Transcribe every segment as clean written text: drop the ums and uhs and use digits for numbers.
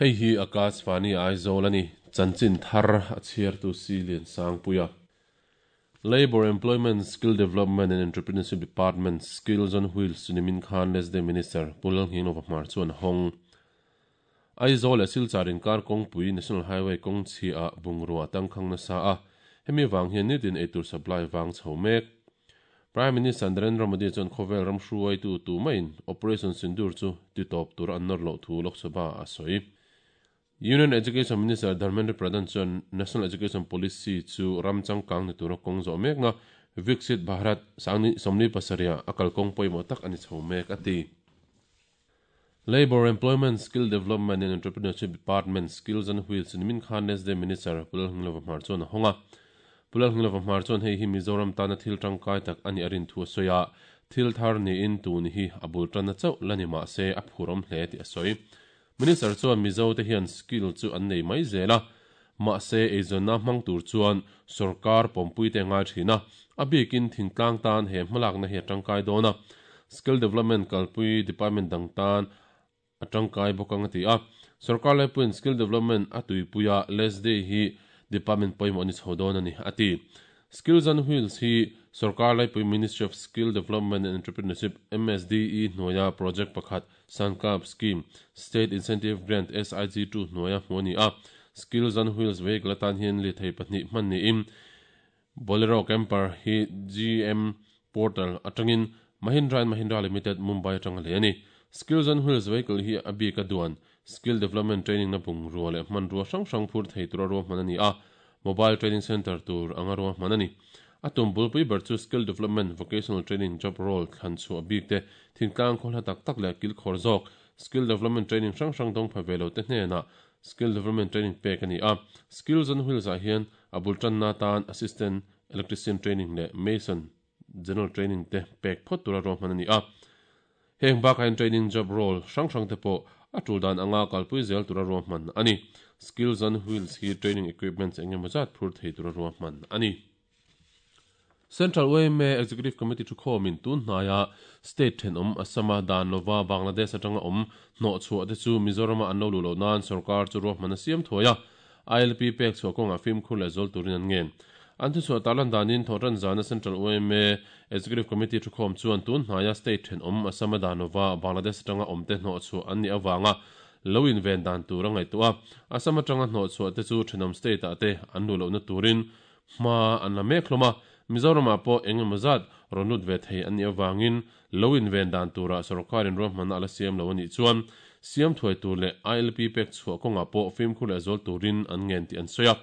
Hei hi Akashvani Aizawl a ni. Chanchin thar a chhiartu Si Liansangpuia. Labour, Employment, Skill Development and Entrepreneurship Department Skills on Wheels chu nimin khan Lesde Minister Pu Lalnghinglova Hmar chuan a hawng. Aizawl leh Silchar inkar kawngpui National Highway kawng chhiah bungrua a tangkhang nasa a, hemi vang hian nitin eitur supply vang chho mek. Prime Minister Narendra Modi chuan khawvel ram hruaitu tumaiin Operation Sindoor chu titawp tur an nawr loh thu Lok Sabha ah a sawi. Union Education Minister Dharmendra Pradhan chuan National Education Policy chu ram changkang ni tura kawng zawh mekna Viksit Bharat sangni 77 a kalkawng pawimawh tak a ni chho mek a ti. Labour, Employment, Skill Development and Entrepreneurship Department Skills on Wheels nimin khan Nesde Minister Pu Lalhnglova Hmar chuan a hawng a. Pu Lalhnglova Hmar chuan hei hi Mizoram tana thil tangkai tak a nih a rin thu a sawi a, thil thar niin tun hi a bul tanna chauh la ni mah se a phurawm hle tih a sawi. Minister chuan Mizo te hian skill chu an nei mai zel a, mahse eizawnna hmang tur chuan sorkar pawmpui te a ngai thin a, a bikin thingtlang tan he hmalakna hi a tangkai dawn a, skill development kalpui department dang tan a tangkai bawk ang a ti a. Sorkar laipuiin skill development a tuipui a, LESDE hi department pawimawh a ni chho dawn a ni, a ti. Skills on Wheels hi sorkar laipui Ministry of Skill Development and Entrepreneurship, MSDE, hnuaia project pakhat Sankalp Scheme, State Incentive Grant, SIG, 2 hnuaia hmuh a ni a. Skills on Wheels vehicle atan hian lirthei pahnih hman niin Bolero Camper hi GM Portal atangin Mahindra and Mahindra Limited, Mumbai atanga lei a ni. Skills on Wheels vehicle hi a bik a duan Skill Development Training na bungrua leh hmanrua hrang hrang phur thei tura ruahman a ni a. Mobile Training Centre tur anga ruahman a ni. A tum bulpui ber chu Skill Development, Vocational Training, Job Role thlan chhuah bik te, thingtlang khaw hla tak tak leh kilkhawr zawk, Skill Development Training hrang hrang dawng pha ve lo te hnenah Skill Development Training pek a ni a. Skills on Wheels ah hian a bul tanna atan Assistant Electrician Training leh Mason General Training te pek phawt tura ruahman a ni a. Heng bakah hian training job role hrang hrang te pawh a tul dan anga kalpui zel tura ruahman a ni. Skills on Wheels hi training equipments eng emaw zat phur thei tura ruahman a ni. Central yma Executive Committee thukhawmin tun hnaia state thenawm Assam-a dan lova Bangladesh atanga awm hnawhchhuah te chu Mizoram-a an lo luh loh nan sorkar chu ruahman a siam thuai a. ILP pek chhuah kawngah fimkhur leh zual turin an ngen. An thuchhuah tarlan danin Thawhtan zana Central yma Executive Committee thukhawm chuan tun hnaia state thenawm Assam-a Danova Bangladesh atanga awmte hnawhchhuah an nih avanga lo inven dan tur a ngaihtuah a. Assam atanga hnawhchhuah te chu thenawm state-ah te an luh lohna turin hma an la mek hlawm a. Mizoramah pawh eng emaw zat rawn lut ve thei an nih avangin Lo inven dan turah sorkarin ruahmanna a la siam lo a nih chuan siam thuai tur leh ILP pek chhuah kawngah pawh fimkhur leh zual turin an ngen tih an sawi a.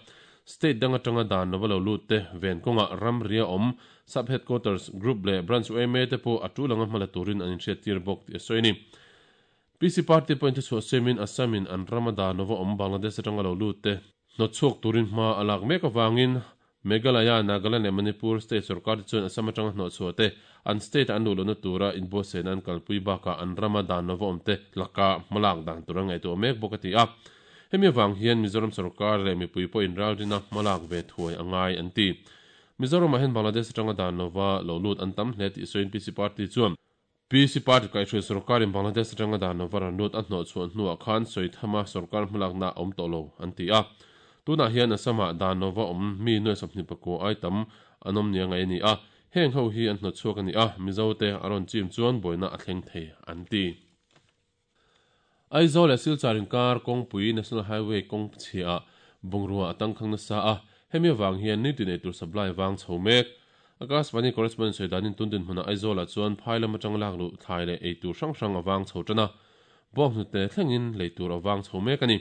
State dang atanga dan lova lo lut te ven kawngah ramria awm Sub Headquarters Group leh Branch yma te pawh a tul anga hmala turin an inhriattir bawk tih a sawi a ni. PC Party pawhin thuchhuah siamin Assam in an rama dan lova awm Bangladesh atanga lo lut te hnawtchhuak turin hma a lak mek avangin Meghalaya, Nagaland leh Manipur state sorkar te chuan Assam atanga hnawhchhuah te, an state-a an luh lohna tura inbuatsaihna an kalpui bakah an rama dan lova awm te laka hmalak dan tur an ngaihtuah mek bawk a ti a. Hemi avang hian Mizoram sorkar leh mipui pawhin ralrina hmalak ve thuai a ngai an ti. Mizoramah hian Bangladesh atanga dan lova lo lut an tam hle tih sawiin PC Party chuan PC Party kaihhruai sorkarin Bangladesh atanga dan lova ran lut a hnawhchhuah hnuah khan sawi thama sorkar hmalakna a awm tawh lo an ti a. Tunah hian Assam-ah dan lova awm mi nuai 24 ai tam an awm nia ngaih a ni a, heng ho hi an hnawtchhuak a ni a, Mizote a rawn chim chuan buaina a thleng thei an ti. Aizawl leh Silchar inkar kawngpui National Highway kawng chhiah bungrua a tangkhang nasa a, hemi avang hian nitin eitur supply vang chho mek. Akashvani correspondent sawi danin tun dinhmunah Aizawlah chuan phai lam atang lak luh thlai leh eitur hrang hrang a vang chho tan a, bawnghnute thlengin lei tur a vang chho mek a ni.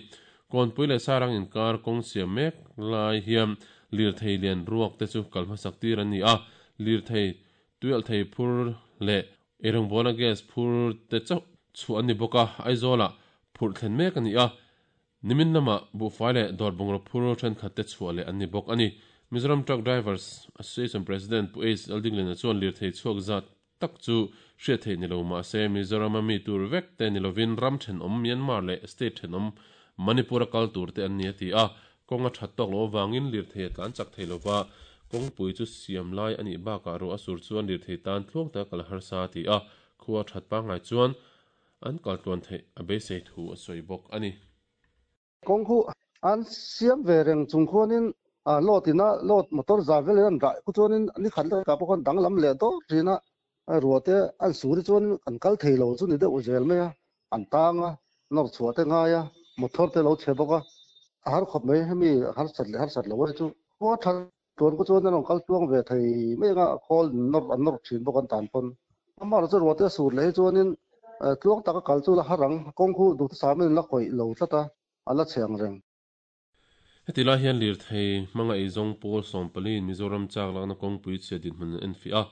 Kawnpui leh Sarang inkar kawng siam mek lai hian lirthei lian ruak te chu kal hmasak tir an ni a, lirthei tuialhthei phur leh Eirawngbawlna gas phur te chauh chhuah an ni bawk a, Aizawlah phurh thlen mek a ni a, nimin lamah buhfai leh dawr bungraw phur thenkhat te chhuah leh an ni bawk a ni. Mizoram Truck Drivers Association President Pu Ace Laldiglena chuan lirthei chhuak zat tak chu hriat theih ni lo mah se Mizorama mi tur vek te ni lovin ram thenawm Myanmar leh state thenawm Manipur a kal tur te an ni a ti a, Kawng a that tawk loh avangin lirthei a tlan chak thei lova, kawngpui chu siam lai a nih bakah ruah a sur chuan lirthei tan tluang taka kal a harsa a ti a, khua a that pangngai chuan an kal tluan theih a beisei thu a sawi bawk a ni. Kawng khu an siam ve reng chung khuanin load ina load motor za velin an dah khu chuanin ni khat lekah pawh khuan danglam leh dawr thin a, ruah te an sur hi chuanin an kal thei lo chu ni deuh zel mai a, an tang a, nawr chhuah te ngai a, motor te lo chhe bawk a, a har khawp mai hemi harsat leh harsat lo hi chu. Khua tha tuan khu chuan an rawn kal tluang ve thei mai anga khawl nawr an nawr thin bawk an tan pawn. Amaherawhchu ruah te a sur leh hi chuanin tluang taka kal chu la har ang, kawng khu duhthusam in la khawih lo tlat a, a la chhe ang reng. Heti lai hian lirthei hmanga eizawng pawl sawmpaliin Mizoram chak lakna kawngpui chhia dinhmun an enfiah a,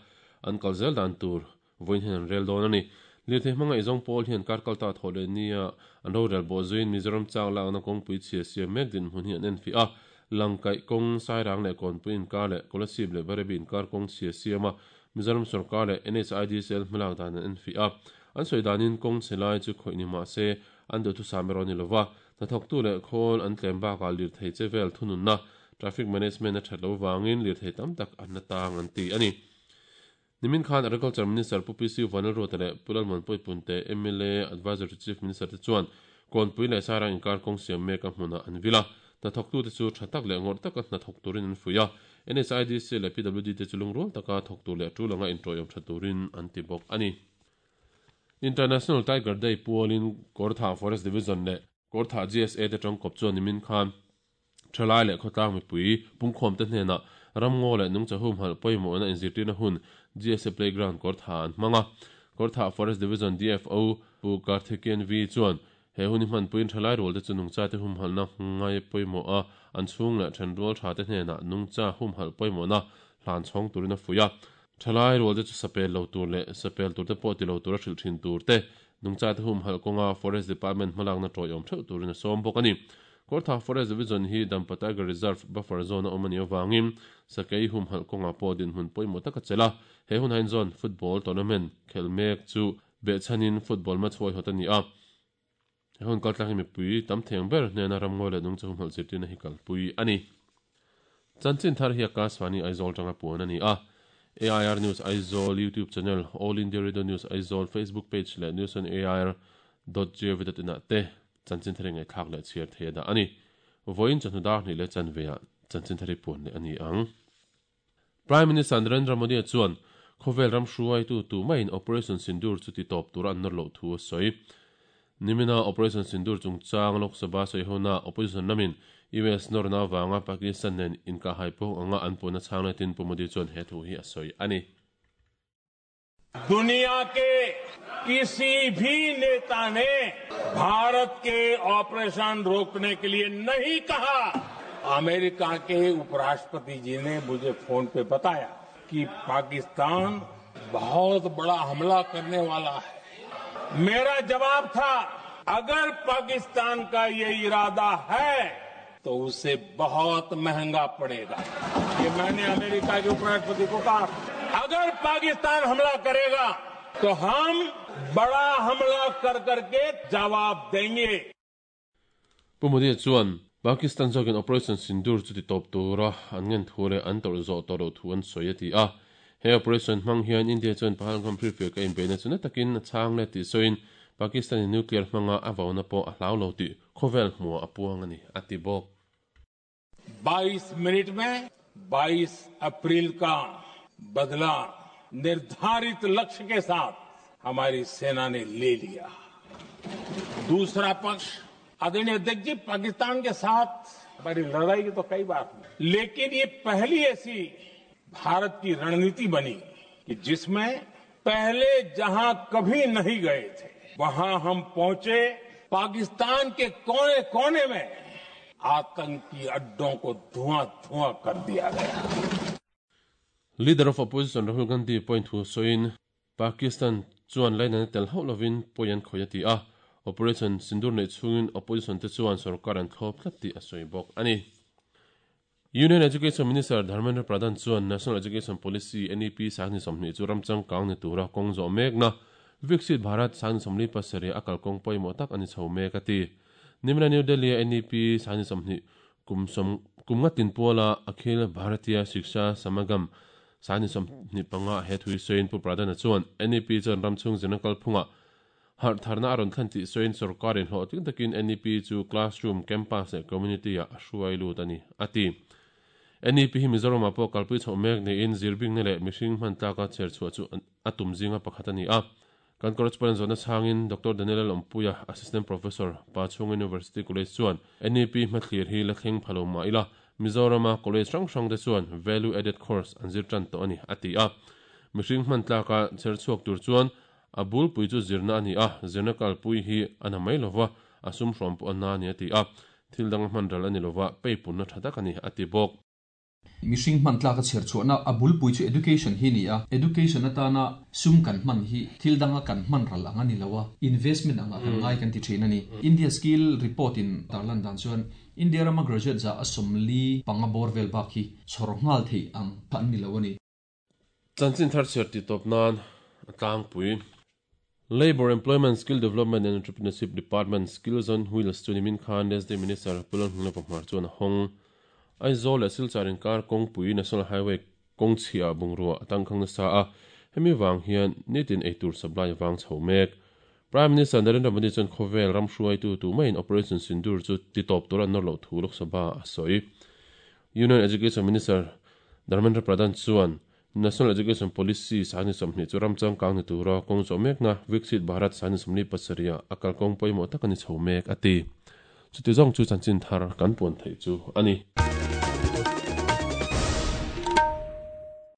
an kal zel dan tur vawiin hian an rel dawn a ni. Lirthei hmanga eizawng pawl hian kar kalta thawh leh nia an rorel bawh zuiin Mizoram chak lakna kawngpui chhia siam mek dinhmun hi an enfiah a, Langkaih kawng, Sairang leh Kawnpui inkar leh Kolasib leh Barebi inkar kawng chhia siam a, Mizoram sorkar leh NHIDCL hmalak dan an enfiah a. An sawi danin kawng chhe lai chu khawih ni mah se an duhthusam erawh a ni lova, Hnathawktu leh khawl an tlem bakah lirthei che vel thununna, traffic management, a that lo vangin lirthei tam tak an la tang an ti a ni. Nimin khan Agriculture Minister Pu PC Vanlalruata leh Pu Lalmuan Pawipunte, mla Advisor to Chief Minister te chuan Kawnpui leh Sairang inkar kawng siam meka hmunah an vil a. Hnathawktute chu tha tak leh ngawrh taka hnathawk turin an fuih a. NHIDC leh PWD te chu lungrual taka thawk tur leh tul anga inṭawiawm tha turin an ti bawk a ni. International Tiger Day pualin Kawrthah Forest Division leh Kawrthah GSA te tangkawp chuan nimin khan thalai leh khawtlang mipui pungkhawmte hnenah ramngaw leh nungcha humhalh pawimawhna inzirtirna hun GSA Playground Kawrthah an hmang a. Kawrthah Forest Division DFO Pu Karthikeyan V chuan he hun hi hmanpuiin thalai rualte chu nungchate humhalhna ngai pawimawh a, an chhung leh thenrual thate hnenah nungcha humhalh pawimawhna hlan chhawng turin a fuih a. Thalai rualte chu sapel lo tur leh sapel turte pawh ti lo tura hrilh thin tur te, nungchate humhalh kawnga Forest Department hmalakna tawiawm theuh turin a sawm bawk a ni. Kawrthah Forest Division hi Dampa Tiger Reserve buffer zone a awm a nih avangin sakei humhalh kawngah pawh dinhmun pawimawh tak a chelh a, he hun hain zone football tournament khelh mek chu behchhanin football match huaihawt a ni a. He hun kaltlang hi mipui tam theng ber hnena ramngawi leh nungcha humhalh zirtirna hi kalpui a ni. Chanchin thar hi Akashvani Aizawl tanga puan a ni a. AIR News Aizawl YouTube channel, All India Radio News Aizawl Facebook page leh News on AIR dot gov dot in ah te chanchin thar hi ngaihthlak leh chhiar thei a dah a ni. Vawiin chawhnu dar hnih leh chanveah chanchin thar hi puan leh a ni ang. Prime Minister Narendra Modi-a chuan khawvel ram hruaitu tumaiin Operation Sindoor chu ti tawp tura an nawr loh thu a sawi. Nimina Operation Sindoor chungchang Lok Sabha sawihona opposition lamin US nawrna avanga Pakistan nen inkahhai pawng anga an puhna chhang letin Pu Modi chuan he thu hi a sawi a ni. दुनिया के किसी भी नेता ने भारत के operation रोकने के लिए नहीं कहा। अमेरिका के उपराष्ट्रपति जी ने मुझे फोन पे बताया कि पाकिस्तान बहुत बड़ा हमला करने वाला है। मेरा जवाब था, अगर पाकिस्तान का ये इरादा है तो उसे बहुत महंगा पड़ेगा। ये मैंने अमेरिका के उपराष्ट्रपति को कहा, अगर पाकिस्तान हमला करेगा तो हम बड़ा हमला कर करके जवाब देंगे। Pu Modi chuan Pakistan zawkin Operation Sindoor chu ti tawp tura an ngen thu leh an tawrh zawh tawh loh thu an sawi a ti a. He operation hmang hian India chuan Pahalgam Prefect a inbeihna chu na takin a chhang let tih sawiin Pakistan-in nuclear hmanga a vauna pawh a hlau lo tih khawvel hmuah a puang a ni, a ti bawk. 22 minute mein 22 April ka badla nirdharit lakshya ke saath hamari sena ne le liya. Dusra paksh आदरणीय अध्यक्ष जी, पाकिस्तान के साथ हमारी लड़ाई की तो कई बार हुई, लेकिन ये पहली ऐसी भारत की रणनीति बनी कि जिसमें पहले जहां कभी नहीं गए थे वहां हम पहुंचे। पाकिस्तान के कोने-कोने में आतंकी अड्डों को धुआं-धुआं कर दिया गया। Leader of Opposition Rahul Gandhi point thu sawiin Pakistan chuan lainatna tel hauh lovin pawi an khawih a ti a, Operation Sindoor neih chhungin opposition te chuan sorkar an thlawp tlat tih a sawi bawk a ni. Union Education Minister Dharmendra Pradhan chuan National Education Policy, NEP, sangni 20 chu ram changkang ni tura kawng zawh mekna Viksit Bharat sangni 47 a kalkawng pawimawh tak a ni chho mek a ti. Nimina New Delhi-a NEP sangni 20 kum sawm kum nga tin puala Akhil Bharatiya Shiksha Samagam sangni 25 he thui sawiin Pu Pradhan-a chuan NEP chuan ram chhung zirna kalphungah Harh tharna a rawn thlen tih sawiin sorkarin hlawhtling takin NEP chu classroom, campus leh community-ah a hruai lut a ni, a ti. NEP hi Mizoramah pawh kalpui chhoh mek niin zirbingna leh mihring hman tlaka chher chhuah chu a tum zinga pakhat a ni a. Kan correspondent zawhna chhangin Doctor Daniel Lalawmpuia, Assistant Professor, Pachhung University College chuan NEP hmathlir hi la thleng pha lo mah ila, Mizorama college hrang hrangte chuan value added course an zir tan tawh a ni, a ti a. Mihring hman tlaka chher chhuak tur chuan a bulpui chu zirna a ni a, zirna kalpui hi a na mai lova, a sum hrawm pawh a na a ni, a ti a. Thil dang a hman ral a ni lova, peipunna tha tak a ni, a ti bawk. Mihring hman tlak a chher chhuahna a bulpui chu education hi a ni a, education atana sum kan hman hi thil danga kan hman ral ang a ni lo a, investment angah kan ngai kan ti thin a ni. India Skill Report in tarlan dan chuan India rama graduate za a 45 bawr vel bak hi chhawr nghal theih ang kha an ni lo a ni. Chanchin thar chhiar tih tawp nan a tlangpui. Labour, Employment, Skill Development and Entrepreneurship Department Skills on Wheels chu nimin khan Lesday Minister Pu Lalhmingna Pahmar chuan a hawng. Aizawl leh Silchar inkar kawngpui National Highway kawng chhiah bungrua a tangkhang nasa a, hemi vang hian nitin eitur supply a vang chho mek. Prime Minister Narendra Modi chuan khawvel ram hruaitu tumaiin Operation Sindoor chu titawp tur an nawr loh thu Lok Sabha a sawi. Union Education Minister Dharmendra Pradhan chuan National Education Policy sahni 20 chu ram changkang ni tura kawng zawh mekna Viksit Bharat sahni 47 ah a kalkawng pawimawh tak a ni chho mek a ti. Chuti zawng chu chanchin thar kan puan theih chu a ni.